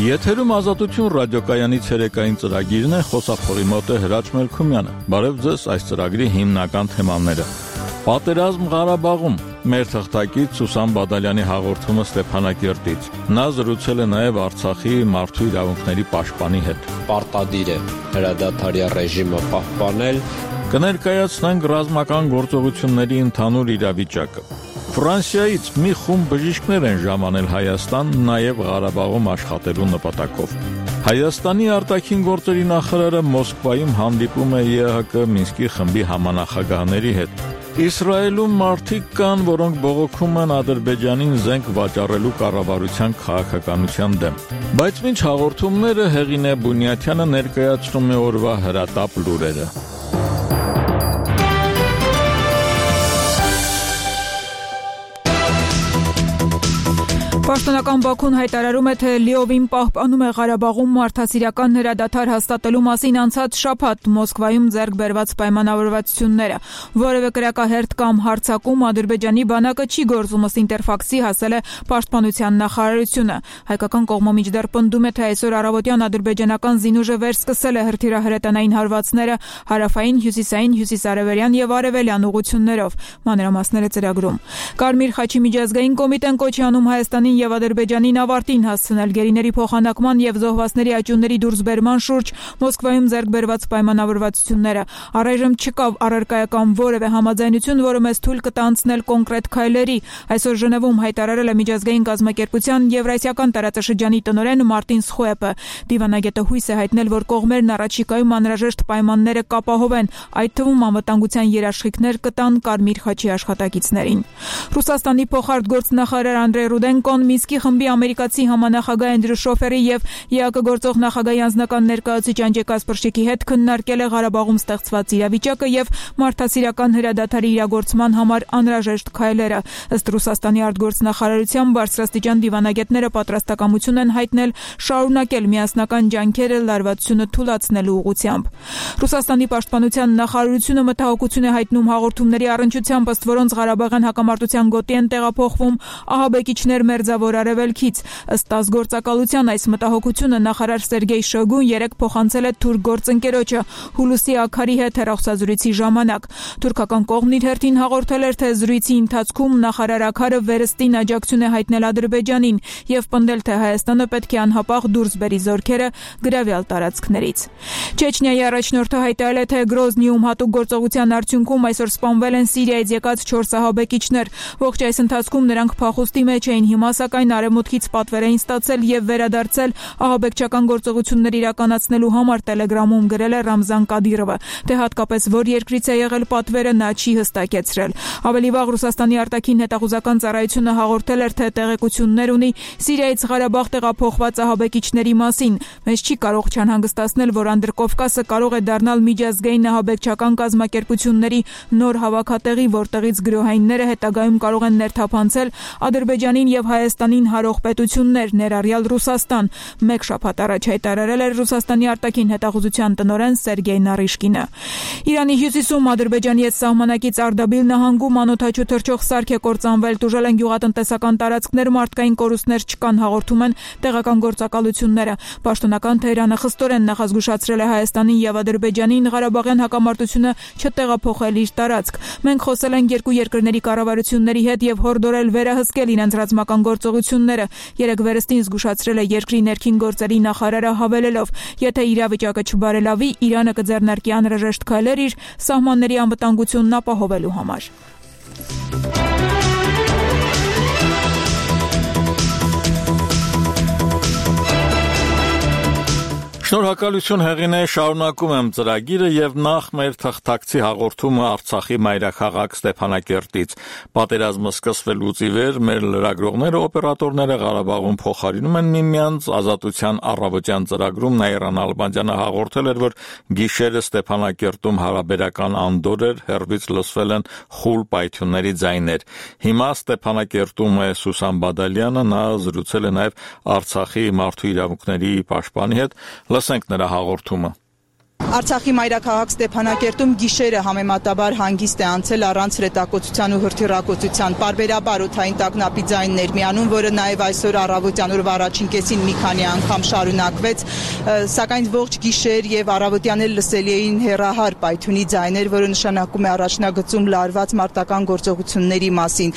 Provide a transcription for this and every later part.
Եթերում Ազատություն ռադիոկայանի ցերեկային ծրագիրն է, խոսափողի մոտ է Հրաչ Մելքումյանը։ Բարև ձեզ, այս ծրագրի հիմնական թեմաները։ Պատերազմ Ղարաբաղում, մեր թղթակից Սուսան Բադալյանի հաղորդումը Ստեփանակերտից։ Նա զրուցել է նաև Արցախի մարդու իրավունքների պաշտպանի հետ։ Պարտադիր է հրադադարի ռեժիմը պահպանել։ Կներկայացնենք ռազմական գործողությունների ընդհանուր իրավիճակը։ Ֆրանսիայից մի խումբ բժիշկներ են ժամանել Հայաստան, նաև Ղարաբաղում աշխատելու նպատակով։ Հայաստանի արտաքին գործերի նախարարը Մոսկվայում հանդիպում է ԵԱՀԿ Մինսկի խմբի համանախագահների հետ։ Իսրայելում մարդիկ կան, որոնք բողոքում են Ադրբեջանին զենք վաճառելու կառավարության քաղաքականության դեմ։ Բայց մինչ հաղորդումները Հեղինե Բունյաթյանը ներկայացնում է օրվա հրատապ լուրերը։ Պաշտոնական Բաքուն հայտարարում է, թե լիովին պահպանում է Ղարաբաղում մարդասիրական հրադադար հաստատելու մասին անցած շաբաթ Մոսկվայում ձեռք բերված պայմանավորվածությունները։ Որևէ կրակահերթ կամ հարձակում Ադրբեջանի բանակը չի գործում, ըստ Ինտերֆաքսի հասել է Պաշտպանության նախարարությունը։ Հայկական կողմը մինչդեռ պնդում է, թե այսօր առավոտյան ադրբեջանական զինուժը վերսկսել է հրթիռահրետանային հարվածները հարավային, հյուսիսային, հյուսիսարևելյան եւ արևելյան ուղղություններով։ Մանրամասները ծրագրում։ Կարմիր խաչի միջազգային կոմիտեն կոչ է անում Հայաստանին եւ Ադրբեջանին ավարտին հասցնել գերիների փոխանակման եւ զոհվածների աճյունների դուրսբերման շուրջ Մոսկվայում ձեռք բերված պայմանավորվածությունները։ Առայժմ չկա առարկայական որևէ համաձայնություն, որը մեզ թույլ կտա անցնել կոնկրետ քայլերի։ Այսօր Ժնևում հայտարարել է միջազգային կազմակերպության Եվրասիական տարածաշրջանի տնօրեն Մարտին Սխոեպը։ Դիվանագետը հույս է հայտնել, որ կողմերն առաջիկայում անհրաժեշտ պայմանները կապահովեն, այդ թվում անվտանգության երաշխիքներ կտան Կարմիր խաչի աշխատակիցներին։ Ռուսաստանի փոխարտգործնախարար Անդրեյ Ռուդենկոն Մինսկի խմբի ամերիկացի համանախագահ Էնդրյու Շոֆերի եւ ԵԱՀԿ գործող նախագահի անձնական ներկայացուցիչ Անջե Կասպրշիկի հետ քննարկել է Ղարաբաղում ստեղծված իրավիճակը եւ մարդասիրական հրադադարի իրագործման համար անհրաժեշտ քայլերը։ Ըստ Ռուսաստանի արտգործնախարարության բարձրաստիճան դիվանագետները պատրաստակամություն են հայտնել շարունակել միասնական ջանքերը լարվածությունը թույլատնելու ուղղությամբ։ Ռուսաստանի պաշտպանության նախարարությունը մտահոգություն է հայտնում հաղորդումների առնչությամբ, ըստ որոնց Ղարաբաղյան հակամարտության գոտի են տեղափոխվում ահաբեկիչներ Մերձավոր Արևելքից։ Ըստ ազգործակալության այս մտահոգությունը նախարար Սերգեյ Շոգուն երեկ փոխանցել է թուրք գործընկերոջը Հուլուսի Աքարի հետ հեռախոսազրույցի ժամանակ։ Թուրքական կողմն իր հերթին հաղորդել էր, թե զրույցի ընթացքում նախարար Աքարը վերստին աջակցություն է հայտնել Ադրբեջանին եւ պնդել, թե Հայաստանը պետք է անհապաղ դուրս բերի զորքերը գրավյալ տարածքներից։ Չեչնիայի առաջնորդը հայտարարել է, թե Գրոզնիում հատուկ գործողության արդյունքում այսօր սպանվել են Սիրիայից եկած 4 ահաբեկիչներ։ Ողջ այս ընթացքում նրանք փախուստի մեջ էին, հիմա սակայն արևմուտքից պատվեր էին ստացել եւ վերադարձել ահաբեկչական գործողություններ իրականացնելու համար, Տելեգրամում գրել է Ռամզան Կադիրովը։ Թե հատկապես որ երկրից է եղել պատվերը, նա չի հստակեցրել։ Ավելի վաղ Ռուսաստանի արտաքին հետախուզական ծառայությունը հաղորդել էր, թե տեղեկություններ ունի Սիրիայից Ղարաբաղ տեղափոխված ահաբեկիչների մասին։ Մեզ չի կարող չանհանգստացնել, որ Անդրկովկասը կարող է դառնալ միջազգային ահաբեկչական կազմակերպությունների նոր հավաքատեղի, որտեղից գրոհայինները հետագայում կարող են ներթափանցել Ադրբեջանին եւ Հայաստանին հարող պետություններ, ներառյալ Ռուսաստան։ Մեկ շաբաթ առաջ հայտարարել էր Ռուսաստանի արտաքին հետախուզության տնօրեն Սերգեյ Նարիշկինը։ Իրանի հյուսիսում Ադրբեջանի հետ սահմանակից Արդաբիլ նահանգում անօդաչու թռչող սարք է կործանվել, տուժել են գյուղատնտեսական տարածքներ, մարդկային կորուստներ չկան, հաղորդում են տեղական գործակալությունները։ Պաշտոնական Թեհրանը խստորեն նախազգուշացրել է Հայաստանին եւ Ադրբեջանին Ղարաբաղյան հակամարտությունը չտեղափոխել իր տարածք։ Մենք խոսել ենք երկու երկրների կառավարությունների հետ եւ հորդորել վերահսկել իրենց ռազմական գործողությունները։ Երեք վերստին զգուշացրել է երկրի ներքին գործերի նախարարը, հավելելով. եթե իրավիճակը չբարելավի, Իրանը կձեռնարկի անհրաժեշտ քայլեր իր սահմանների անվտանգությունն ապահովելու համար։ Շնորհակալություն Հեղինե, շարունակում եմ ծրագիրը եւ նախ մեր թղթակցի հաղորդումը Արցախի մայրաքաղաք Ստեփանակերտից։ Պատերազմը սկսվելուց ի վեր մեր լրագրողները, օպերատորները Ղարաբաղում փոխարինում են միմյանց, Ազատության առավոտյան ծրագրում Նաիրան Ալբանդյանը հաղորդել էր, որ գիշերը Ստեփանակերտում հարաբերական անդոր էր, հեռվից լսվել են խուլ պայթյունների ձայներ։ Հիմա Ստեփանակերտում է Սուսան Բադալյանը, նա զրուցել է նաեւ Արցախի մարդու իրավունքների պաշտպանի հետ։ Լսենք նրա հաղորդումը։ Արցախի մայրաքաղաք Ստեփանակերտում գիշերը համեմատաբար հանգիստ է անցել առանց հրետակոծության ու հրթիռակոծության։ Պարբերաբար օդային տագնապի ձայններ միանում, որը նաև այսօր առավոտյան օրվա առաջին կեսին մի քանի անգամ շարունակվեց, սակայն ողջ գիշեր եւ առավոտյան էլ լսելի էին հեռահար պայթյունի ձայներ, որը նշանակում է առաջնագծում լարված մարտական գործողությունների մասին։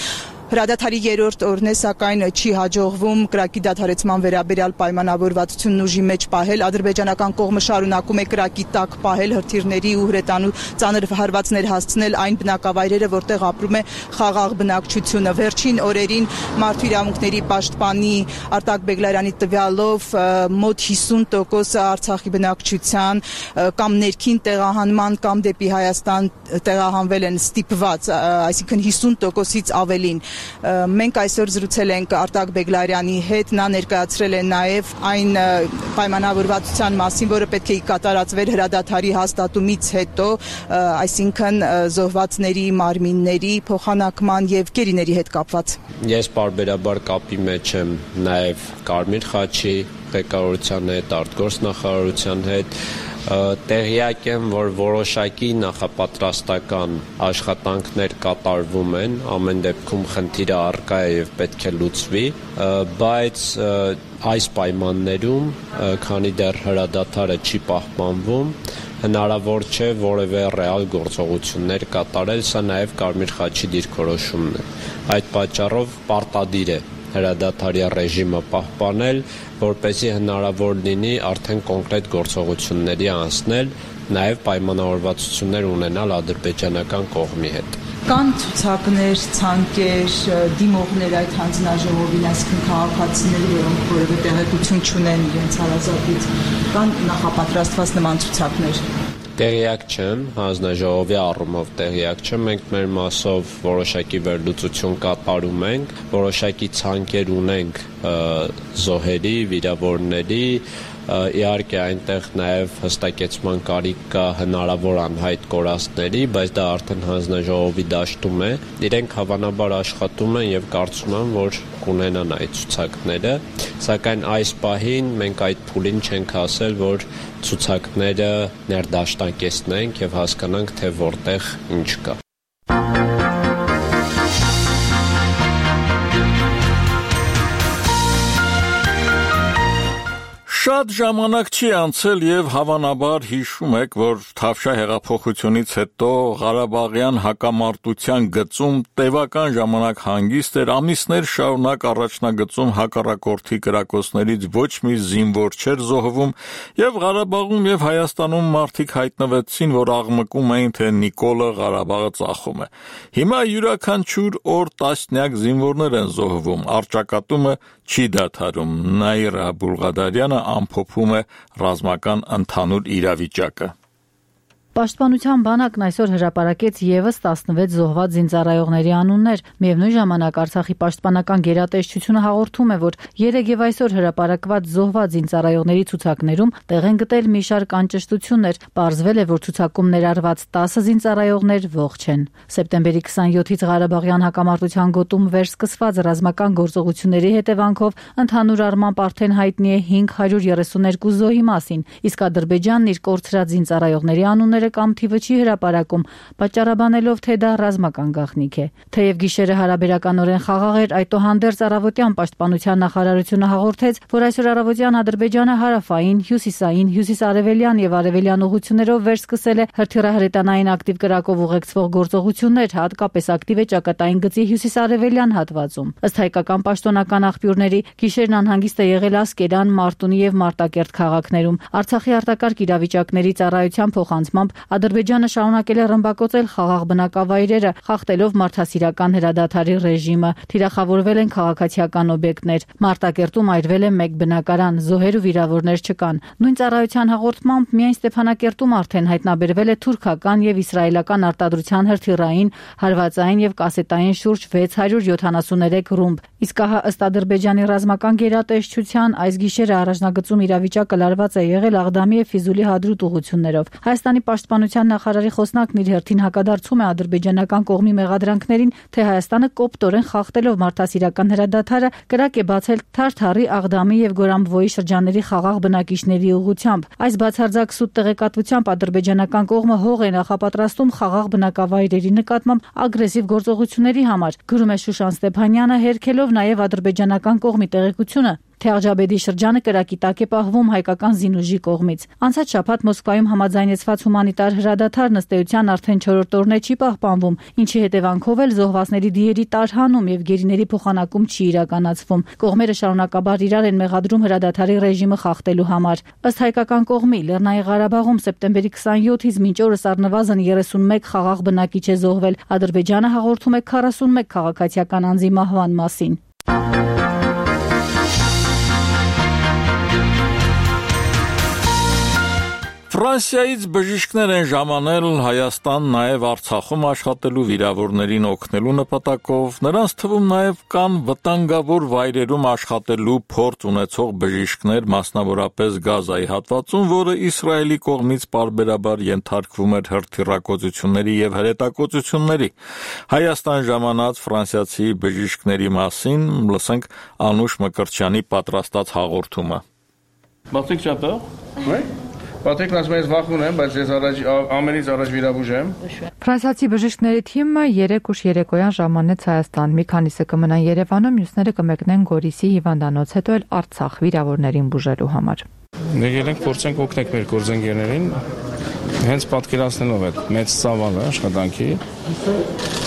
Հրադադարի երրորդ օրն է, սակայն չի հաջողվում կրակի դադարեցման վերաբերյալ պայմանավորվածությունն ուժի մեջ պահել։ Ադրբեջանական կողմը շարունակում է կրակի տակ պահել հրթիռների ու հրետանու ծանր հարվածներ հասցնել այն բնակավայրերը, որտեղ ապրում է խաղաղ բնակչությունը։ Վերջին օրերին մարդու իրավունքների պաշտպանի Արտակ Բեգլարյանի տվյալով մոտ 50% Արցախի բնակչության կամ ներքին տեղահանման կամ դեպի Հայաստան տեղահանվել են ստիպված, այսինքն 50%-ից ավելին։ Մենք այսօր զրուցել ենք Արտակ Բեգլարյանի հետ, նա ներկայացրել է նաև այն պայմանավորվածության մասին, որը պետք է կատարածվեր հրադադարի հաստատումից հետո, այսինքն զոհվածների մարմինների փոխանակման եւ գերիների հետ կապված։ Ես պարբերաբար կապի մեջ եմ նաև Կարմիր խաչի ղեկավարության հետ, արտգործնախարարության հետ, տեղյակ եմ, որ որոշակի նախապատրաստական աշխատանքներ կատարվում են, ամեն դեպքում խնդիրը առկա է եւ պետք է լուծվի, բայց այս պայմաններում, քանի դեռ հրադադարը չի պահպանվում, հնարավոր չէ որևէ ռեալ գործողություններ կատարել, սա նաև Կարմիր խաչի դիրքորոշումն է։ Այդ պատճառով պարտադիր է հրադադարի ռեժիմը պահպանել, որպեսզի հնարավոր լինի արդեն կոնկրետ գործողությունների անցնել, նաև պայմանավորվածություններ ունենալ ադրբեջանական կողմի հետ։ Կան ցուցակներ, ցանկեր, դիմողներ այդ հանձնաժողովին, այսինքն քաղաքացիների, որոնք որևէ տեղեկություն չունեն իրենց հարազատից, կան նախապատրաստված նման ցուցակներ։ Տեղյակ չեմ, հանձնաժողովի առումով տեղյակ չեմ, մենք մեր մասով որոշակի վերլուծություն կատարում ենք, որոշակի ցանկեր ունենք զոհերի, վիրավորների, իհարկե այնտեղ նաև հստակեցման կարիք կա հնարավոր անհայտ կորածների, բայց դա արդեն հանձնաժողովի դաշտում է, իրենք հավանաբար աշխատում են եւ կարծում եմ, որ կունենան այդ ցուցակները, սակայն այս պահին մենք այդ փուլին չենք հասել, որ ցուցակները ներդաշնակեցնենք եւ հասկանանք, թե որտեղ ինչ կա։ Շատ ժամանակ չի անցել եւ հավանաբար հիշում եք, որ Թավշյա հեղափոխությունից հետո Ղարաբաղյան հակամարտության գծում տևական ժամանակ հանգիստ էր, ամիսներ շարունակ առաջնագծում հակառակորդի կրակոցներից ոչ մի զինվոր չէր զոհվում եւ Ղարաբաղում եւ Հայաստանում մարդիկ հայտնվեցին, որ աղմկում էին, թե Նիկոլը Ղարաբաղը ծախում է։ Հիմա յուրաքանչյուր օր տասնյակ զինվորներ են զոհվում, առճակատումը չի դադարում։ Նաիրա Բուլղադարյանը ամփոփում է ռազմական ընդհանուր իրավիճակը։ Պաշտպանության բանակն այսօր հրապարակեց եւս 16 զոհված զինծառայողների անուններ։ Միևնույն ժամանակ Արցախի պաշտպանական գերատեսչությունը հաղորդում է, որ երեկ եւ այսօր հրապարակված զոհված զինծառայողների ցուցակներում տեղ են գտել մի շարք անճշտություններ։ Պարզվել է, որ ցուցակում ներառված 10 զինծառայողներ ողջ են։ Սեպտեմբերի 27-ից Ղարաբաղյան հակամարտության գոտում վերսկսված ռազմական գործողությունների հետևանքով ընդհանուր առմամբ արդեն հայտնի է 532 զոհի մասին, իսկ Ադրբեջանն իր կորցրած զինծառայողների անունները կամ թիվը չի հրապարակում, պատճառաբանելով, թե դա ռազմական գաղտնիք է։ Թեև գիշերը հարաբերականորեն խաղաղ էր, այդուհանդերձ առավոտյան պաշտպանության նախարարությունը հաղորդեց, որ այսօր առավոտյան Ադրբեջանը հարավային, հյուսիսային, հյուսիսարևելյան եւ արևելյան ուղղություններով վերսկսել է հրթիռահրետանային ակտիվ կրակով ուղեկցվող գործողություններ, հատկապես ակտիվ է ճակատային գծի հյուսիսարևելյան հատվածում։ Ըստ հայկական պաշտոնական աղբյուրների, գիշերն անհանգիստ է եղել Ասկերան, Մարտունի եւ Մարտակերտ քաղաքներում։ Արցախի արտակարգ իրավիճակների ծառայության փոխանցմամբ Ադրբեջանը շարունակել է ռմբակոծել խաղաղ բնակավայրերը, խախտելով մարդասիրական հրադադարի ռեժիմը։ Թիրախավորվել են քաղաքացիական օբյեկտներ։ Մարտակերտում այրվել է 1 բնակարան, զոհեր ու վիրավորներ չկան։ Նույն ծառայության հաղորդմամբ միայն Ստեփանակերտում արդեն հայտնաբերվել է թուրքական եւ իսրայելական արտադրության հրթիռային, հարվածային եւ կասետային շուրջ 673 ռումբ, Իսկ ահա ըստ Ադրբեջանի ռազմական գերատեսչության այս գիշերը առաջնագծում իրավիճակը լարված է եղել Աղդամի եւ Ֆիզուլի հադրուտ ուղղություններով։ Հայաստանի պաշտպանության նախարարի խոսնակն իր հերթին հակադարձում է ադրբեջանական կողմի մեղադրանքներին, թե Հայաստանը կոպտորեն խախտելով մարդասիրական հրադադարը կրակ է բացել Թարթարի, Աղդամի եւ Գորամբվոյի շրջանների խաղաղ բնակիչների ուղղությամբ։ Այս բացարձակ սուտ տեղեկատվությամբ ադրբեջանական կողմը հող է նախապատրաստում խաղաղ բնակավայրերի նկատմամբ ագրեսիվ գործողությունների համար, գրում է Շուշան Ստեփանյանը, հերքելով նաև ադրբեջանական կողմի տեղեկությունը, թե Աղջաբեդի շրջանը կրակի տակ է պահվում հայկական զինուժի կողմից։ Անցած շաբաթ Մոսկվայում համաձայնեցված հումանիտար հրադադարն ըստ էության արդեն 4-րդ օրն է չի պահպանվում, ինչի հետևանքով էլ զոհվածների դիերի տարհանում եւ գերիների փոխանակում չի իրականացվում։ Կողմերը շարունակաբար իրար են մեղադրում հրադադարի ռեժիմը խախտելու համար։ Ըստ հայկական կողմի, Լեռնային Ղարաբաղում սեպտեմբերի 27-ից մինչ օրս առնվազն 31 խաղաղ բնակիչ է զոհվել։ Ադրբեջանը հաղորդում է 41 քաղաքացիական անձի մահվան մասին։ Ֆրանսիայից բժիշկներ են ժամանել Հայաստան նաև Արցախում աշխատելու վիրավորներին օգնելու նպատակով, նրանց թվում նաև կան վտանգավոր վայրերում աշխատելու փորձ ունեցող բժիշկներ, մասնավորապես Գազայի հատվածում, որը Իսրայելի կողմից պարբերաբար ենթարկվում էր հրթիռակոծությունների եւ հրետակոծությունների։ Հայաստան ժամանած ֆրանսիացի բժիշկների մասին լսենք Անուշ Մկրտչյանի պատրաստած հաղորդումը։ Patrick, tu as peur? Oui. Patrick, ասում վախում եմ, բայց ես ամենից առաջ վիրաբույժ եմ։ Ֆրանսիացի բժիշկների թիմը 3 ուշ երեկոյան ժամանեց Հայաստան։ Մի քանիսը կմնան Երևանում, մյուսները կմեկնեն Գորիսի հիվանդանոց, հետո էլ Արցախ վիրավորներին բուժելու համար։ Եկել ենք փորձենք օգնել մեր գործընկերներին, հենց պատկերացնելով այդ մեծ ծավալը աշխատանքի,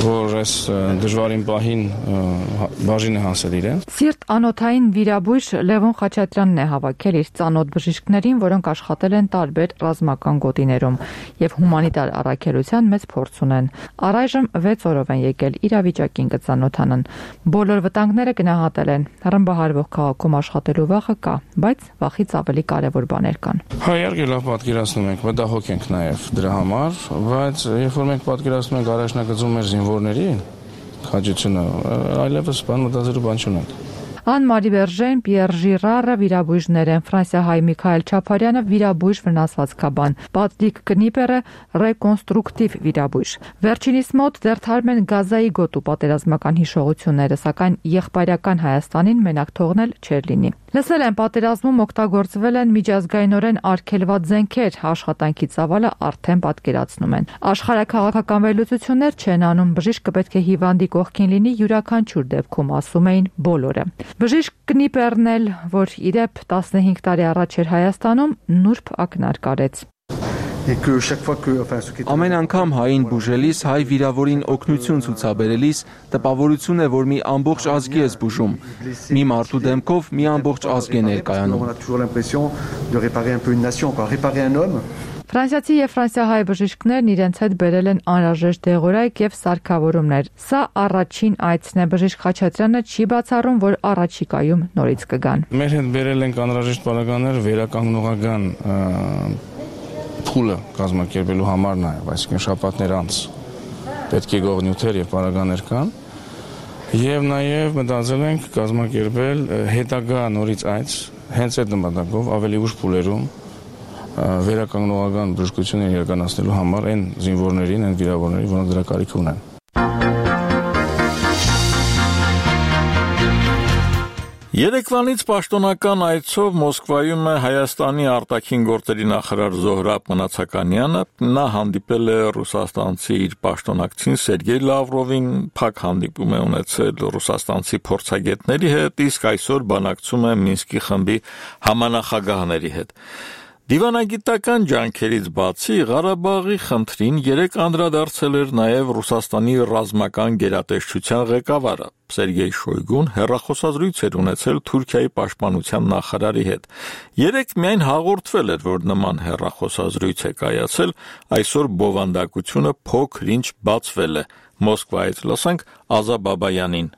որ այս դժվարին պահին բաժին է հասել իրեն։ Սիրտ անոթային վիրաբույժ Լևոն Խաչատրյանն է հավաքել իր ծանոթ բժիշկներին, որոնք աշխատել են տարբեր ռազմական գոտիներում եւ հումանիտար առաքելության մեծ փորձ ունեն։ Առայժմ 6 օրով են եկել իրավիճակին կծանոթանան։ Բոլոր վտանգները գնահատել են։ Ռմբահարվող քաղաքում աշխատելու վախը կա, բայց վախից ավելի կարևոր բաներ կան։ Իհարկե լավ պատկերացնում ենք, մտահոգ ենք նաև դրա համար, բայց երբ որ մենք պատկերացնում ենք առաջնագծում մեր զինվորների քաջությունը, այլևս բան մտածելու բան չունենք։ Անմարի Բերժեն, Պիեր Ժիրարը վիրաբույժներ են, Ֆրանսիահայ Միքայել Չապարյանը վիրաբույժ վնասվածքաբան, Պատրիկ Կնիպերը ռեկոնստրուկտիվ վիրաբույժ։ Վերջինիս մոտ դերթարում են Գազայի գոտու պատերազմական հիշողությունները, սակայն եղբայրական Հայաստանին մենակ թողնել չէր լինի։ Լսել են պատերազմում օգտագործվել են միջազգայինորեն արգելված զենքեր, աշխատանքի ծավալը արդեն պատկերացնում են։ Աշխարհաքաղաքական վերլուծություններ չեն անում, բժիշկը պետք է հիվանդի կողքին լինի յուրաքանչյուր դեպքում, ասում էին բոլորը։ Բժիշկ Կնիպերն էլ, որ իրեւ 15 տարի առաջ էր Հայաստանում, նուրբ ակնարկ արեց։ Ամեն անգամ հային բուժելիս, հայ վիրավորին օգնություն ցուցաբերելիս տպավորություն է, որ մի ամբողջ ազգի ես բուժում։ Մի մարդու դեմքով մի ամբողջ ազգ է ներկայանում։ Ֆրանսիացի եւ ֆրանսիահայ բժիշկներն իրենց հետ բերել են անհրաժեշտ դեղորայք եւ սարքավորումներ։ Սա առաջին այցն է, բժիշկ Խաչատրյանը չի բացառում, որ առաջիկայում նորից կգան։ Մեր հետ բերել ենք անհրաժեշտ բանականներ վերականգնողական փուլը կազմակերպելու համար նաև, այսինքն շաբաթներ անց պետք է գողնյութեր եւ պարագաներ կան, եւ նաև մտածել ենք կազմակերպել հետագա նորից այց հենց այդ նպատակով ավելի ուշ փուլերում վերականգնողական բժշկություն իրականացնելու համար այն զինվորներին, այն վիրավորներին, որոնք դրա կարիք ունեն։ Երեկվանից պաշտոնական այցով Մոսկվայում է Հայաստանի արտաքին գործերի նախարար Զոհրաբ Մնացականյանը, նա հանդիպել է ռուսաստանցի իր պաշտոնակցին Սերգեյ Լավրովին, փակ հանդիպում է ունեցել ռուսաստանցի փորձագետների հետ, իսկ այսօր բանակցում է Մինսկի խմբի համանախագահների հետ։ Դիվանագիտական ջանքերից բացի Ղարաբաղի խնդրին երեք անդրադարձել էր նաև Ռուսաստանի ռազմական գերատեսչության ղեկավարը Սերգեյ Շոյգուն հեռախոսազրույց էր ունեցել Թուրքիայի պաշտպանության նախարարի հետ։ Երեք միայն հաղորդվել էր, որ նման հեռախոսազրույց է կայացել, այսօր բովանդակությունը փոքր-ինչ բացվել է։ Մոսկվայից լսենք Ազա Բաբայանին։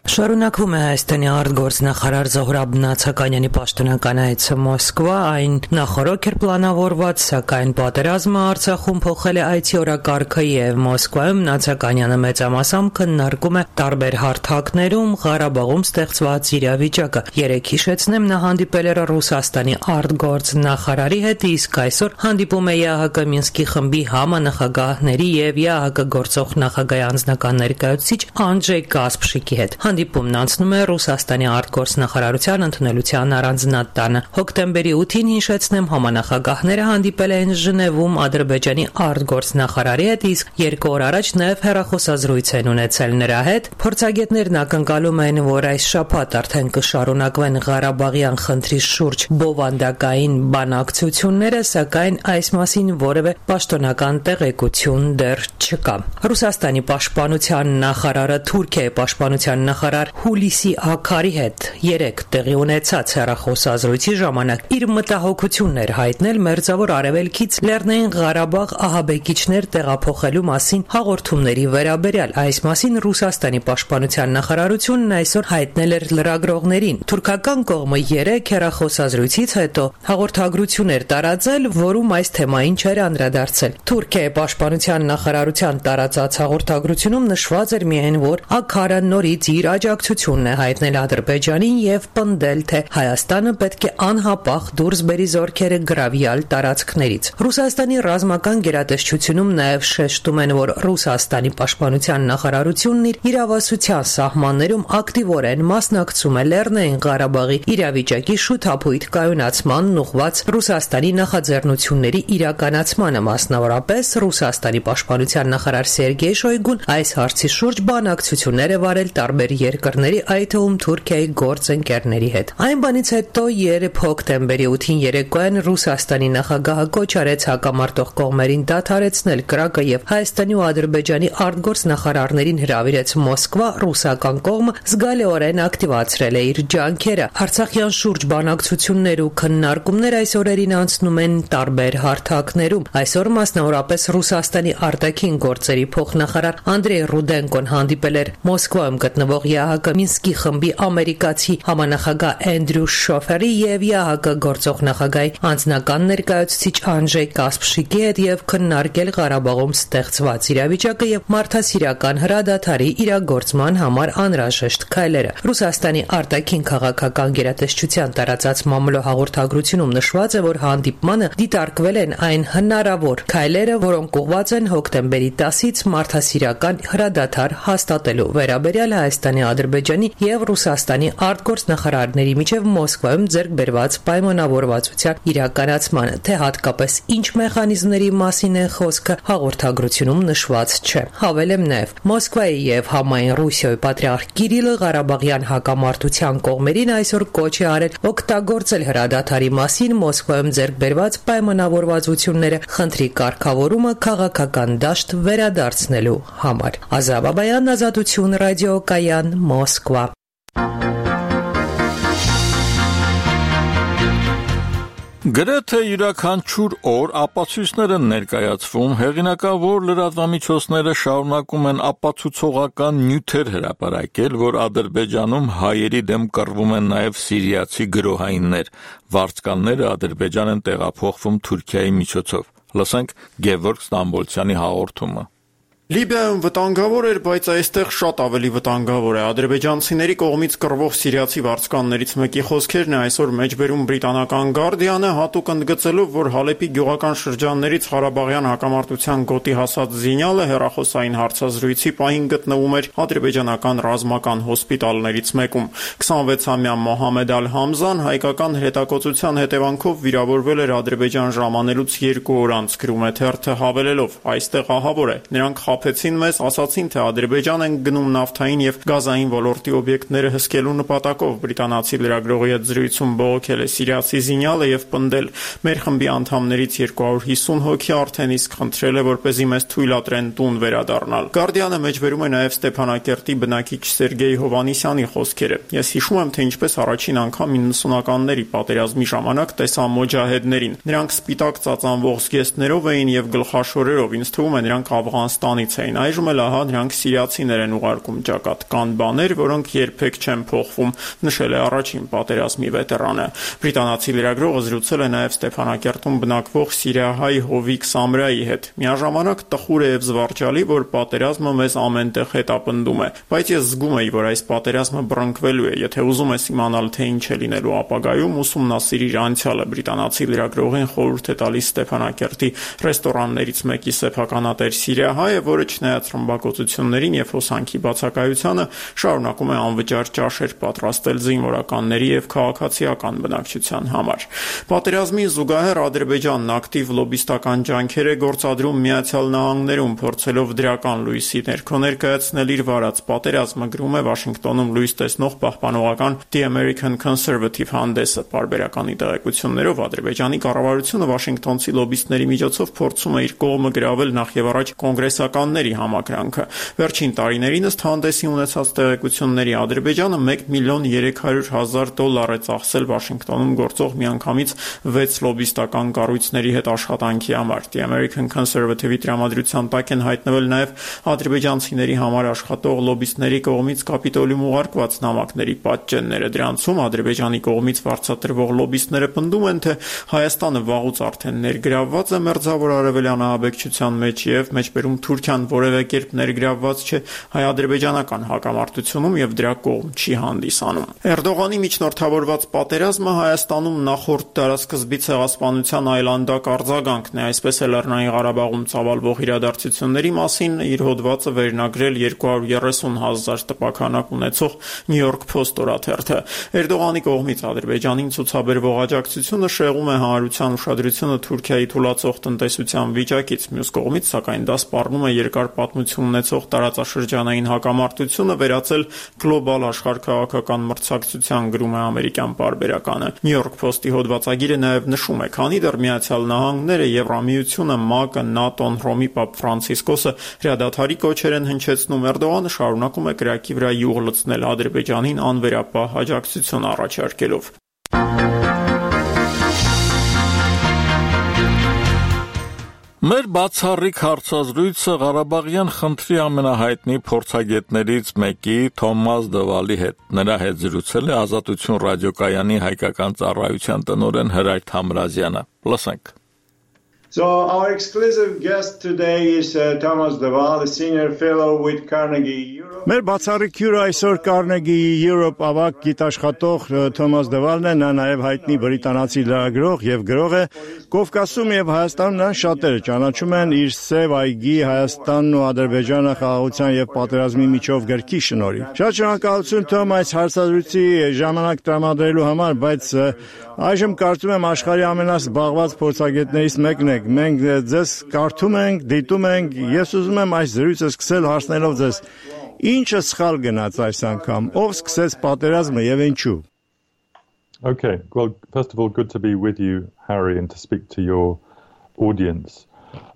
Շարունակվում է Հայաստանի արտգործնախարար Զոհրաբ Նացականյանի պաշտոնական այցը Մոսկվա, այն նախօրոք էր պլանավորված, սակայն պատերազմը Արցախում փոխել է այցի օրակարգը եւ Մոսկվայում Նացականյանը մեծամասամբ քննարկում է տարբեր հարթակներում Ղարաբաղում ստեղծված իրավիճակը։ Երեկ հիշեցնեմ, նա հանդիպել էր Ռուսաստանի արտգործնախարարի հետ, իսկ այսօր հանդիպում է ԵԱՀԿ Մինսկի խմբի համանախագահների եւ ԵԱՀԿ գործող նախագահի անձնական ներկայացուցիչ Անդրեյ Կասպշիկի հետ։ Հանդիպումն անցնում է Ռուսաստանի արտգործնախարարության ընդունելության առանձնատանը։ Հոկտեմբերի 8-ին հիշեցնեմ, համանախագահները հանդիպել էին Ժնևում Ադրբեջանի արտգործնախարարի հետ, իսկ 2 օր առաջ նաև հեռախոսազրույց են ունեցել նրա հետ։ Փորձագետներն ակնկալում են, որ այս շաբաթ արդեն կշարունակվեն Ղարաբաղյան խնդրի շուրջ բովանդակային բանակցությունները, սակայն այս մասին որևէ պաշտոնական տեղեկություն դեռ չկա։ Ռուսաստանի պաշտպանության նախարարը Թուրքիայի պաշտպանության նախարար Հուլիսի Աքարի հետ երեկ տեղի ունեցած հեռախոսազրույցի ժամանակ իր մտահոգությունն էր հայտնել Մերձավոր Արևելքից Լեռնային Ղարաբաղ ահաբեկիչներ տեղափոխելու մասին հաղորդումների վերաբերյալ։ Այս մասին Ռուսաստանի պաշտպանության նախարարությունն այսօր հայտնել էր լրագրողներին։ Թուրքական կողմը երեկ հեռախոսազրույցից հետո հաղորդագրություն էր տարածել, որում այս թեմային չէր անդրադարձել։ Թուրքիայի պաշտպանության նախարարության տարածած հաղորդագրությունում նշված էր միայն, որ Աքարը նորից իր աջակցությունն է հայտնել Ադրբեջանին եւ պնդել, թե Հայաստանը պետք է անհապաղ դուրս բերի զորքերը գրավյալ տարածքներից։ Ռուսաստանի ռազմական գերատեսչությունում նաեւ շեշտում են, որ Ռուսաստանի պաշտպանության նախարարությունն իր իրավասության սահմաններում ակտիվորեն մասնակցում է Լեռնային Ղարաբաղի իրավիճակի շուտափույթ կայունացմանն ուղղված Ռուսաստանի նախաձեռնությունների իրականացմանը, մասնավորապես Ռուսաստանի պաշտպանության նախարար Սերգեյ Շոյգուն այս հարցի շուրջ բանակցություններ է վարել տարբեր երկրների, այդ թվում Թուրքիայի գործընկերների հետ։ Այն բանից հետո երբ հոկտեմբերի 8-ին երեկոյան Ռուսաստանի նախագահը կոչ արեց հակամարտող կողմերին դադարեցնել կրակը եւ Հայաստանի ու Ադրբեջանի արտգործնախարարներին հրավիրեց Մոսկվա, ռուսական կողմը զգալիորեն ակտիվացրել է իր ջանքերը։ Արցախյան շուրջ բանակցություններ ու քննարկումներ այս օրերին անցնում են տարբեր հարթակներում։ Այսօր մասնավորապես Ռուսաստանի արտաքին գործերի փոխնախարար Անդրեյ Ռուդենկոն հանդիպել էր Մոսկվայում գտնվող ԵԱՀԿ Մինսկի խմբի ամերիկացի համանախագահ Էնդրյու Շոֆերի եւ ԵԱՀԿ գործող նախագահի անձնական ներկայացուցիչ Անդրեյ Կասպշիկի հետ եւ քննարկել Ղարաբաղում ստեղծված իրավիճակը եւ մարդասիրական հրադադարի իրագործման համար անհրաժեշտ քայլերը։ Ռուսաստանի արտաքին քաղաքական գերատեսչության տարածած մամուլո հաղորդագրությունում նշված է, որ հանդիպմանը դիտարկվել են այն հնարավոր քայլերը, որոնք ուղղված են հոկտեմբերի 10-ից մարդասիրական հրադադար հաստատելու վերաբերյալ Հայաստանի, Ադրբեջանի եւ Ռուսաստանի արտգործնախարարների միջև Մոսկվայում ձեռք բերված պայմանավորվածության իրականացմանը, թե հատկապես ինչ մեխանիզմների մասին է խոսքը հաղորդագրությունում նշված չէ։ Հավելեմ նաեւ Մոսկվայի եւ համայն Ռուսիայի պատրիարք Կիրիլը Ղարաբաղյան հակամարտության կողմերին այսօր կոչ է արել օգտագործել հրադադարի մասին Մոսկվայում ձեռք բերված պայմանավորվածությունները խնդրի կարգավորումը քաղաքական դաշտ վերադարձնելու համար։ Ազատ Բաբայան, Ազատություն ռադիոկայան, Մոսկվա։ Գրեթե յուրաքանչյուր օր ապացույցներ են ներկայացվում, հեղինակավոր լրատվամիջոցները շարունակում են ապացուցողական նյութեր հրապարակել, որ Ադրբեջանում հայերի դեմ կռվում են նաև սիրիացի գրոհայիններ, վարձկանները Ադրբեջան են տեղափոխվում Թուրքիայի միջոցով։ Լսենք Գևորգ Ստամբոլցյանի հաղորդումը։ Լիբիայում վտանգավոր էր, բայց այստեղ շատ ավելի վտանգավոր է։ Ադրբեջանցիների կողմից կռվող սիրիացի վարձկաններից մեկի խոսքերն է այսօր մեջբերում բրիտանական Guardian-ը, հատուկ ընդգծելով, որ Հալեպի գյուղական շրջաններից Ղարաբաղյան հակամարտության գոտի հասած զինյալը հեռախոսային հարցազրույցի պահին գտնվում էր ադրբեջանական ռազմական հոսպիտալներից մեկում։ 26-ամյա Մոհամեդ Ալ-Համզան հայկական հետակոծության հետևանքով վիրավորվել էր Ադրբեջան ժամանելուց 2 օր անց, գրում է թերթը հավելելով. «Այստեղ ահավոր է։ Նրանք խաբեցին մեզ, ասացին, թե Ադրբեջան են գնում նավթային եւ գազային ոլորտի օբյեկտները հսկելու նպատակով»։ Բրիտանացի լրագրողի հետ զրույցում բողոքել է սիրիացի զինյալը եւ պնդել. «Մեր խմբի անդամներից 250 հոգի արդեն իսկ խնդրել է, որպեսզի մեզ թույլատրեն տուն վերադառնալ»։ Guardian-ը մեջբերում է նաեւ Ստեփանակերտի բնակիչ Սերգեյ Հովանիսյանի խոսքերը. «Ես հիշում եմ, թե ինչպես առաջին անգամ 90-ականների պատերազմի ժամանակ տեսա մոջահեդներին։ Նրանք սպիտակ ծածանվող զգեստներով էին եւ գլխաշորերով։ Ինձ թվում է նրանք Աֆղանստանի Ադրբեջանից էին։ Այժմ էլ ահա նրանք սիրիացիներ են ուղարկում ճակատ։ Կան բաներ, որոնք երբեք չեն փոխվում, նշել է առաջին պատերազմի վետերանը։ Բրիտանացի լրագրողը զրուցել է նաև Ստեփանակերտում բնակվող սիրիահայ Հովիկ Սամրայի հետ։ Միաժամանակ տխուր է եւ զվարճալի, որ պատերազմը մեզ ամենտեղ հետապնդում է, բայց ես զգում եի, որ այս պատերազմը բռնկվելու է։ Եթե ուզում ես իմանալ, թե ինչ է լինելու ապագայում, ուսումնասիրիր անցյալը։ Բրիտանացի լրագրողին խորհուրդ է տալիս Ստեփանակերտի ռեստորաններից մեկի սեփականատեր սիրիահայը, որը չնայած ռմբակոծություններին եւ հոսանքի բացակայությանը շարունակում է անվճար ճաշեր պատրաստել զինվորականների եւ քաղաքացիական բնակչության համար։ Պատերազմին զուգահեռ Ադրբեջանն ակտիվ լոբիստական ջանքեր է գործադրում Միացյալ Նահանգներում, փորձելով դրական լույսի ներքո ներկայացնել իր վարած պատերազմը, գրում է Վաշինգտոնում լույս տեսնող պահպանողական The American Conservative հանդեսը։ Պարբերականի տեղեկություններով Ադրբեջանի կառավարությունը վաշինգտոնցի լոբիստների միջոցով փորձում է իր կողմը գրավել նախ եւ առաջ կոնգրեսականների համակրանքը։ Վերջին տարիներին ըստ հանդեսի ունեցած տեղեկությունների Ադրբեջանը $1,300,000 է ծախսել Վաշինգտոնում գործող միանգամից 6 լոբիստական կառույցների հետ աշխատանքի համար։ The American Conservative-ի տրամադրության տակ են հայտնվել նաև ադրբեջանցիների համար աշխատող լոբիստների կողմից Կապիտոլիում ուղարկված նամակների պատճենները։ Դրանցում Ադրբեջանի կողմից վարձատրվող լոբիստները պնդում են, թե Հայաստանը վաղուց արդեն ներգրավված է Մերձավոր Արևելյան ահաբեկչության մեջ եւ մեջբերում Թուրքիան որևէ կերպ ներգրավված չէ հայ-ադրբեջանական հակամարտությունում եւ դրա կողմ չի հանդիսանում։ Էրդողանի միջնորդավորված պատերազմը Հայաստանում նախորդ դարաշրջանի ցեղասպանության այլանդակ արձագանքն է, այսպես է Լեռնային Ղարաբաղում ծավալվող իրադարձությունների մասին իր հոդվածը վերնագրել 230,000 տպաքանակ ունեցող New York Post օրաթերթը։ Էրդողանի կողմից Ադրբեջանին ցուցաբերվող աջակցությունը շեղում է հանրության ուշադրությունը Թուրքիայի թուլացող տնտեսության վիճակից, մյուս կողմից, սակայն դա սպառնում է երկար պատմություն ունեցող տարածաշրջանային հակամարտությունը վերածել գլոբալ աշխարհքաղաքական մրցակցության, գրում է ամերիկյան պարբերականը։ New York Post-ի հոդվածագիրը նաև նշում է, քանի դեռ Միացյալ Նահանգները, Եվրամիությունը, ՄԱԿ-ը, ՆԱՏՕ-ն, Հռոմի Պապ Ֆրանցիսկոսը հրադադարի կոչեր են հնչեցնում, Էրդողանը շարունակում է կրակի վրա յուղ լցնել Ադրբեջանին անվերապահ աջակցություն առաջարկելով։ Մեր բացառիկ հարցազրույցը Ղարաբաղյան խնդրի ամենահայտնի փորձագետներից մեկի Թոմաս Դվալի հետ։ Նրա հետ զրուցել է Ազատություն ռադիոկայանի հայկական ծառայության տնօրեն Հրայր Թամրազյանը։ Լսենք։ So our exclusive guest today is Thomas Deval, a senior fellow with Carnegie Europe. Մեր բացառիկ հյուրը այսօր Carnegie Europe ավագ գիտաշխատող Թոմաս Դվալն է, նա նաև հայտնի բրիտանացի լրագրող եւ գրող է։ Կովկասում եւ Հայաստանում նա շատերը ճանաչում են իր Սև այգի Հայաստանն ու Ադրբեջանը խաղաղության եւ պատերազմի միջով գրքի շնորհիվ։ Շատ շնորհակալություն Թոմ այս հարցազրույցի ժամանակ տրամադրելու համար, բայց այժմ կարծում եմ աշխարհի ամենազբաղված փորձագետներից մեկն եք։ Մենք ձեզ կարդում ենք, դիտում ենք, ես ուզում եմ այս զրույցը սկսել հարցնելով ձեզ. Ինչը սխալ գնաց այս անգամ, ով սկսեց պատերազմը եւ ինչու։ Okay, well, first of all, good to be with you, Harry, and to speak to your audience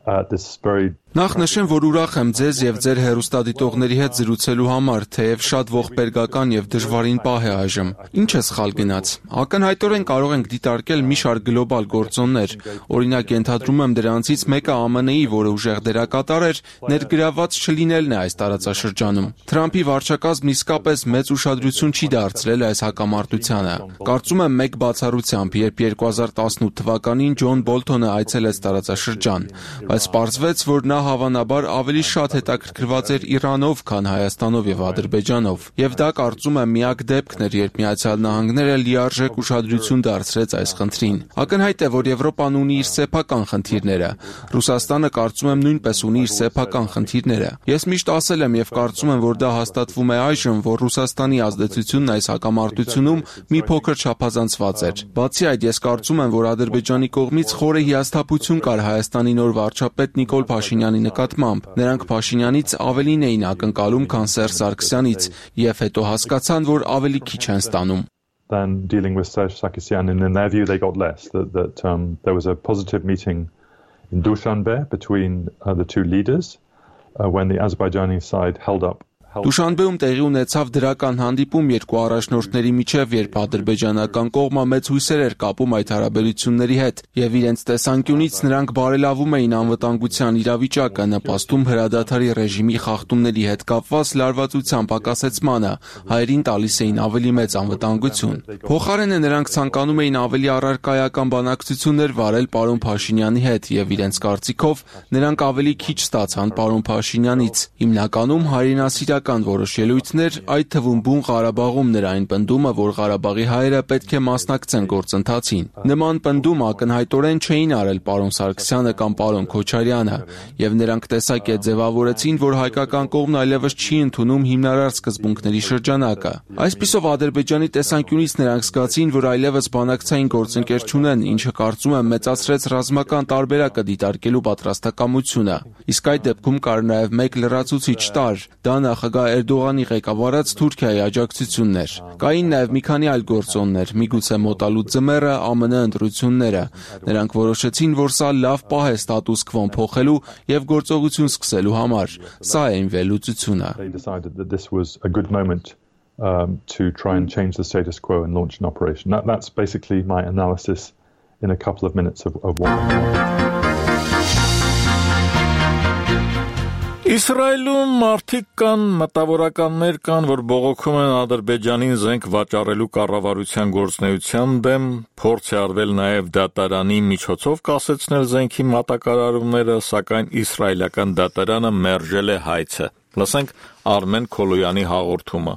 at this very Նախ նշեմ, որ ուրախ եմ ձեզ եւ ձեր հեռուստադիտողների հետ զրուցելու համար, թեև շատ ողբերգական եւ դժվարին պահ է այժմ։ Ինչ է սխալ գնաց։ Ակնհայտորեն կարող ենք դիտարկել մի շարք գլոբալ գործոններ։ Օրինակ, ենթադրում եմ դրանցից մեկը ԱՄՆ-ի, որը ուժեղ դերակատար էր, ներգրավված չլինելն է այս տարածաշրջանում։ Թրամփի վարչակազմն իսկապես մեծ ուշադրություն չի դարձրել այս հակամարտությանը։ Կարծում եմ մեկ բացառությամբ, երբ 2018 թվականին Ջոն Բոլթոնը այցելեց տարածաշրջան, բայց պարզվեց, որ նա հավանաբար ավելի շատ հետաքրքրված էր Իրանով, քան Հայաստանով եւ Ադրբեջանով, եւ դա կարծում եմ միակ դեպքն էր, երբ Միացյալ Նահանգները լիարժեք ուշադրություն դարձրեց այս խնդրին։ Ակնհայտ է, որ Եվրոպան ունի իր սեփական խնդիրները։ Ռուսաստանը կարծում եմ նույնպես ունի իր սեփական խնդիրները։ Ես միշտ ասել եմ եւ կարծում եմ, որ դա հաստատվում է այժմ, որ Ռուսաստանի ազդեցությունն այս հակամարտությունում մի փոքր չափազանցված էր։ Բացի այդ, ես կարծում եմ, որ Ադրբեջանի կողմից խորը հիասթափություն կար Հայաստանի նոր վարչապետ Նիկոլ Փաշինյանի նկատմամբ։ Նրանք Փաշինյանից ավելին էին ակնկալում, քան Սերժ Սարգսյանից, եւ հետո հասկացան, որ ավելի քիչ են ստանում։ Than dealing with Serge Sarkisyan, and in their view, they got less. That there was a positive meeting in Dushanbe between the two leaders when the Azerbaijani side held up Դուշանբեում տեղի ունեցավ դրական հանդիպում երկու առաջնորդների միջև, երբ ադրբեջանական կողմը մեծ հույսեր էր կապում այդ հարաբերությունների հետ, եւ իրենց տեսանկյունից նրանք բարելավում էին անվտանգության իրավիճակը, նպաստում հրադադարի ռեժիմի խախտումների հետ կապված լարվածության պակասեցմանը, հայերին տալիս էին ավելի մեծ անվտանգություն։ Փոխարենը նրանք ցանկանում էին ավելի առարկայական բանակցություններ վարել պարոն Փաշինյանի հետ, եւ իրենց կարծիքով նրանք ավելի քիչ ստացան պարոն Փաշինյանից։ Հիմնականում հայրենասիրական որոշ ելույթներ, այդ թվում բուն Ղարաբաղում նրա այն պնդումը, որ Ղարաբաղի հայերը պետք է մասնակցեն գործընթացին։ Նման պնդում ակնհայտորեն չէին արել պարոն Սարգսյանը կամ պարոն Քոչարյանը, եւ նրանք տեսակետ ձևավորեցին, որ հայկական կողմն այլևս չի ընդունում հիմնարար սկզբունքների շրջանակը։ Այսպիսով Ադրբեջանի տեսանկյունից նրանք զգացին, որ այլևս բանակցային գործընկեր չունեն, ինչը կարծում եմ մեծացրեց ռազմական տարբերակը դիտարկելու պատրաստակամությունը։ Իսկ այդ դեպքում կար նաև մեկ լրացուցիչ տարր, դա նախագահ Էրդողանի ղեկավարած Թուրքիայի աջակցությունն էր։ Կային նաև մի քանի այլ գործոններ, միգուցե մոտալու ձմեռը, ԱՄՆ ընտրությունները։ Նրանք որոշեցին, որ սա լավ պահ է ստատուս քվոն փոխելու եւ գործողություն սկսելու համար։ Սա է այն վերլուծությունը։ To try and change the status quo and launch an operation. That's basically my analysis in a couple of minutes of what went on. Իսրայելում մարդիկ կան, մտավորականներ կան, որ բողոքում են Ադրբեջանին զենք վաճառելու կառավարության գործունեության դեմ, փորձ է արվել նաև դատարանի միջոցով կասեցնել զենքի մատակարարումները, սակայն իսրայելական դատարանը մերժել է հայցը։ Լսենք Արմեն Քոլոյանի հաղորդումը։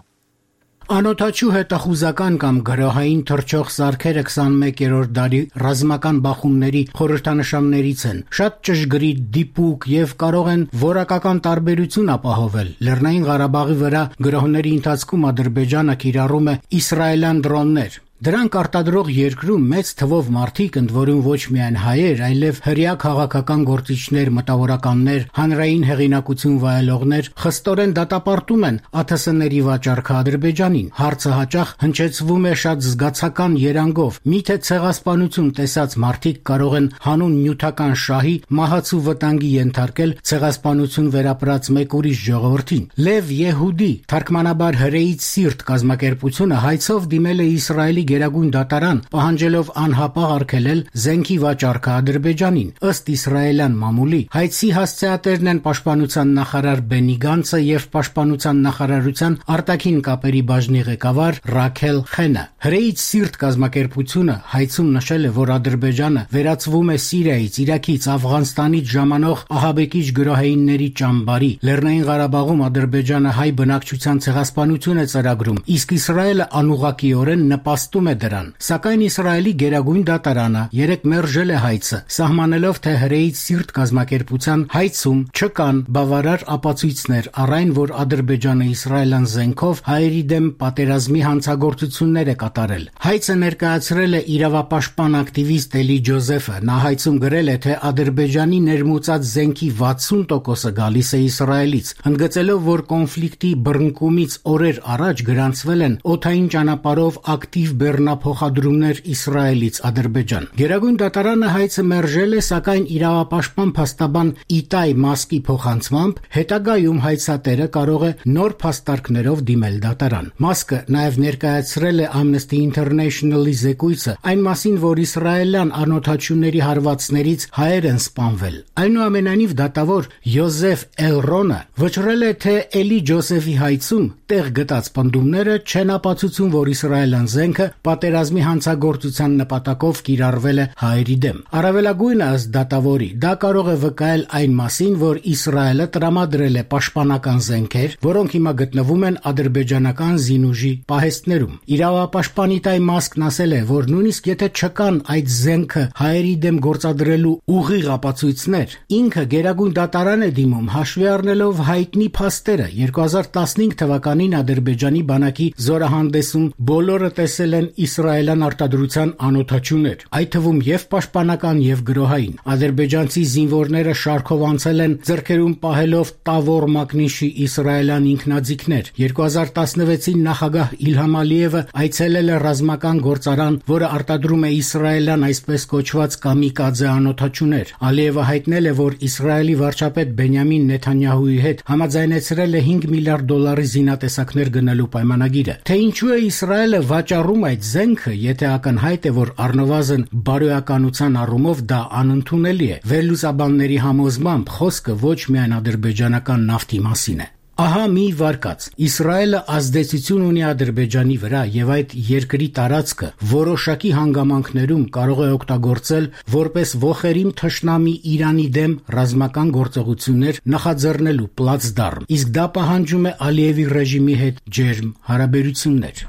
Անօթաչու հետախուզական կամ գրոհային թռչող սարքերը 21-րդ դարի ռազմական բախումների խորհրդանշաններից են։ Շատ ճշգրիտ, դիպուկ եւ կարող են որակական տարբերություն ապահովել։ Լեռնային Ղարաբաղի վրա գրոհների ընթացքում Ադրբեջանը կիրառում է իսրայելյան դրոններ։ Դրանք արտադրող երկրում մեծ թվով մարդիկ, ընդ որում ոչ միայն հայեր, այլև հրեա քաղաքական գործիչներ, մտավորականներ, հանրային հեղինակություն վայելողներ խստորեն դատապարտում են ԱԹՍ-ների վաճառքը Ադրբեջանին։ Հարցը հաճախ հնչեցվում է շատ զգացական երանգով։ Միթե ցեղասպանություն տեսած մարդիկ կարող են հանուն նյութական շահի մահացու վտանգի ենթարկել ցեղասպանություն վերապրած մեկ ուրիշ ժողովրդին։ Լև Եհուդի, թարգմանաբար հրեից սիրտ կազմակերպությունը հայցով դիմել է Իսրայելի Գերագույն դատարան, պահանջելով անհապաղ արգելել զենքի վաճառքը Ադրբեջանին։ Ըստ իսրայելյան մամուլի, հայցի հասցեատերն են պաշտպանության նախարար Բենի Գանցը եւ պաշտպանության նախարարության արտաքին կապերի բաժնի ղեկավար Ռաքել Խենը։ Հրեից սիրտ կազմակերպությունը հայցում նշել է, որ Ադրբեջանը վերածվում է Սիրիայից, Իրաքից, Աֆղանստանից ժամանող ահաբեկիչ գրոհայինների ճամբարի։ Լեռնային Ղարաբաղում Ադրբեջանը հայ բնակչության ցեղասպանություն է ծրագրում, իսկ Իսրայելը անուղղակիորեն նպաստում է դրան։ Սակայն Իսրայելի Գերագույն դատարանը երեկ մերժել է հայցը, սահմանելով, թե հրեից սիրտ կազմակերպության հայցում չկան բավարար ապացույցներ առ այն, որ Ադրբեջանը իսրայելյան զենքով հայերի դեմ պատերազմի հանցագործություններ է կատարել։ Հայցը ներկայացրել է իրավապաշտպան ակտիվիստ Էլի Ջոզեֆը։ Նա հայցում գրել է, թե Ադրբեջանի ներմուծած զենքի 60%-ը գալիս է Իսրայելից, ընդգծելով, որ կոնֆլիկտի բռնկումից օրեր առաջ գրանցվել են օդային ճանապարհով ակտիվ բեռնափոխադրումներ Իսրայելից Ադրբեջան։ Գերագույն դատարանը հայցը մերժել է, սակայն իրավապաշտպան փաստաբան Իտայ Մասկի փոխանցմամբ հետագայում հայցատերը կարող է նոր փաստարկներով դիմել դատարան։ Մասկը նաև ներկայացրել է Amnesty International-ի զեկույցը այն մասին, որ իսրայելյան անօթաչուների հարվածներից հայեր են սպանվել։ Այնուամենայնիվ դատավոր Յոզեֆ Էլրոնը վճռել է, թե Էլի Ջոզեֆի հայցում տեղ գտած պնդումները չեն ապացուցում, որ իսրայելյան զենքը պատերազմի հանցագործության նպատակով կիրառվել է հայերի դեմ։ Առավելագույնը ըստ դատավորի, դա կարող է վկայել այն մասին, որ Իսրայելը տրամադրել է պաշտպանական զենքեր, որոնք հիմա գտնվում են ադրբեջանական զինուժի պահեստներում։ Իրավապաշտպան Իտայ Մասկն ասել է, որ նույնիսկ եթե չկան այդ զենքը հայերի դեմ գործադրելու ուղիղ ապացույցներ, ինքը Գերագույն դատարան է դիմում, հաշվի առնելով հայտնի փաստերը։ 2015 թվականին Ադրբեջանի բանակի զորահանդեսում բոլորը տեսել են իսրայելյան արտադրության անօթաչուներ, այդ թվում եւ պաշտպանական եւ գրոհային։ Ադրբեջանցի զինվորները շարքով անցել են ձեռքերում պահելով Տավոր մակնիշի իսրայելյան ինքնաձիգներ։ 2016-ին նախագահ Իլհամ Ալիևը այցելել է ռազմական գործարան, որը արտադրում է իսրայելյան այսպես կոչված կամիկաձե անօթաչուներ։ Ալիևը հայտնել է, որ Իսրայելի վարչապետ Բենյամին Նեթանյահուի հետ համաձայնեցրել է $5 միլիարդ զինատեսակներ գնելու պայմանագիրը։ Թե ինչու է Իսրայելը վաճառում այդ զենքը, եթե ակնհայտ է, որ առնվազն բարոյականության առումով դա անընդունելի է։ Վերլուծաբանների համոզմամբ խոսքը ոչ միայն ադրբեջանական նավթի մասին է։ Ահա մի վարկած. Իսրայելը ազդեցություն ունի Ադրբեջանի վրա եւ այդ երկրի տարածքը որոշակի հանգամանքներում կարող է օգտագործել որպես ոխերիմ թշնամի Իրանի դեմ ռազմական գործողություններ նախաձեռնելու պլացդարմ։ Իսկ դա պահանջում է Ալիևի ռեժիմի հետ ջերմ հարաբերություններ։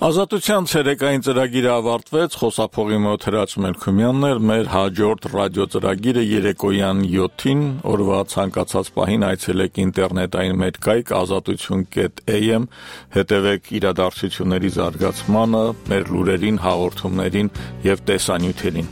Ազատության ցերեկային ծրագիրը ավարտվեց, խոսափողի մոտ Հրաչ Մելքումյանն էր, մեր հաջորդ ռադիո ծրագիրը երեկոյան 7-ին, օրվա ցանկացած պահին այցելեք ինտերնետային մեր կայք azatutun.am, հետևեք իրադարձությունների զարգացմանը, մեր լուրերին, հաղորդումներին եւ տեսանյութերին։